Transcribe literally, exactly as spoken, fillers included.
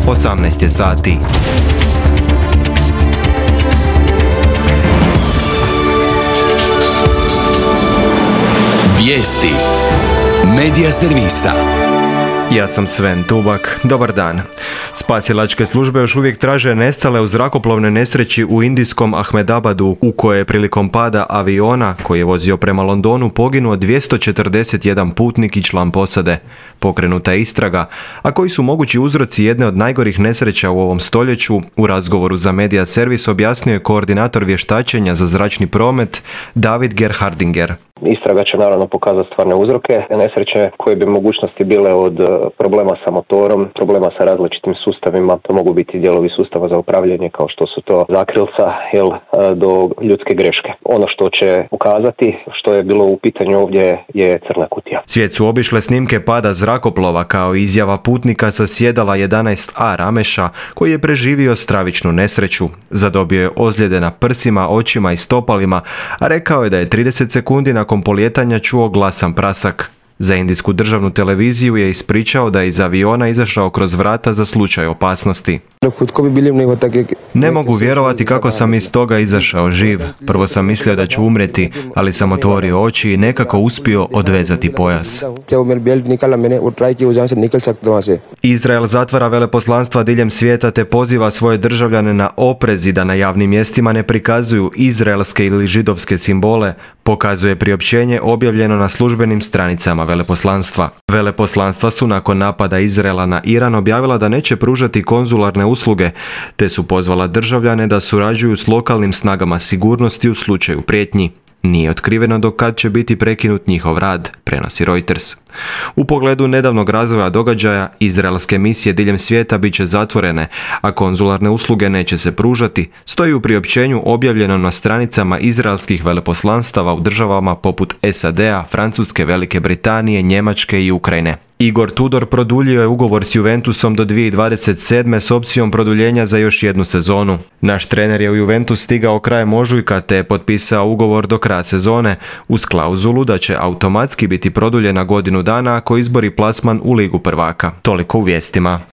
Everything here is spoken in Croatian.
osamnaest je sati. Vijesti Medija servisa. Ja sam Sven Tubak. Dobar dan. Spasilačke službe još uvijek traže nestale u zrakoplovnoj nesreći u indijskom Ahmedabadu, u kojoj je prilikom pada aviona koji je vozio prema Londonu poginuo dvjesto četrdeset jedan putnik i član posade. Pokrenuta je istraga, a koji su mogući uzroci jedne od najgorih nesreća u ovom stoljeću, u razgovoru za Medija servis objasnio je koordinator vještačenja za zračni promet David Gerhardinger. Istraga će naravno pokazati stvarne uzroke nesreće koje bi mogućnosti bile od problema sa motorom, problema sa različitim sustavima, to mogu biti dijelovi sustava za upravljanje kao što su to zakrilca jel, do ljudske greške. Ono što će ukazati, što je bilo u pitanju ovdje, je crna kutija. Svijet su obišle snimke pada zrakoplova kao izjava putnika sa sjedala jedanaest A Rameša koji je preživio stravičnu nesreću. Zadobio je ozljede na prsima, očima i stopalima, a rekao je da je trideset sekundi nakon polijetanja čuo glasan prasak. Za indijsku državnu televiziju je ispričao da je iz aviona izašao kroz vrata za slučaj opasnosti. Ne mogu vjerovati kako sam iz toga izašao živ. Prvo sam mislio da ću umrijeti, ali sam otvorio oči i nekako uspio odvezati pojas. Izrael zatvara veleposlanstva diljem svijeta te poziva svoje državljane na oprez i da na javnim mjestima ne prikazuju izraelske ili židovske simbole, pokazuje priopćenje objavljeno na službenim stranicama veleposlanstva. Veleposlanstva su nakon napada Izraela na Iran objavila da neće pružati konzularne usluge, te su pozvala državljane da surađuju s lokalnim snagama sigurnosti u slučaju prijetnji. Nije otkriveno do kad će biti prekinut njihov rad, prenosi Reuters. U pogledu nedavnog razvoja događaja, izraelske misije diljem svijeta bit će zatvorene, a konzularne usluge neće se pružati, stoji u priopćenju objavljeno na stranicama izraelskih veleposlanstava u državama poput S A D-a, Francuske, Velike Britanije, Njemačke i Ukrajine. Igor Tudor produljio je ugovor s Juventusom do dvije tisuće dvadeset sedme s opcijom produljenja za još jednu sezonu. Naš trener je u Juventus stigao krajem ožujka te je potpisao ugovor do kraja sezone uz klauzulu da će automatski biti produljena godinu dana ako izbori plasman u Ligu prvaka. Toliko u vijestima.